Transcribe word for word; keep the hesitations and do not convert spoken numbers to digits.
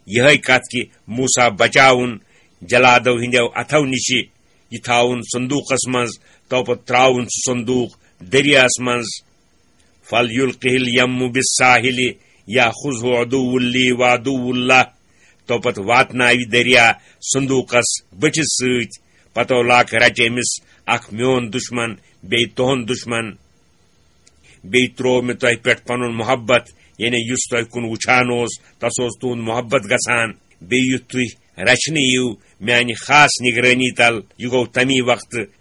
یِہے کتھ کہِ موسیٰ بچاوُن جلادو ہٕنٛدیو اتھو نِشہِ، یہِ تھاوُن صندوقس منٛز، تو پتہٕ ترٛاوُن سُہ صندوق دٔریاہس منٛز۔ فَلْيُلْقِهِ الْيَمُّ بِالسَّاحِلِ يَأْخُذْهُ عَدُوٌّ لِّي وَعَدُوٌّ لَّهُ۔ تو پتہٕ واتناوِ دریا صندوقس بٔٹھِس سۭتۍ۔ پتو لاکھ رچہِ أمِس اکھ میون دشمن، بیٚیہِ تُہُنٛد دشمن۔ بیٚیہِ ترٛوو مےٚ تۄہہِ پٮ۪ٹھ پنُن محبت، یعنی یُس تۄہہِ کُن وٕچھان اوس، تس اوس تُہُنٛد محبت گژھان۔ بیٚیہِ یُتھ تُہۍ رچھنہٕ یِیِو میانہِ خاص نگرٲنی تل، یہِ گوٚو تمی وقتہٕ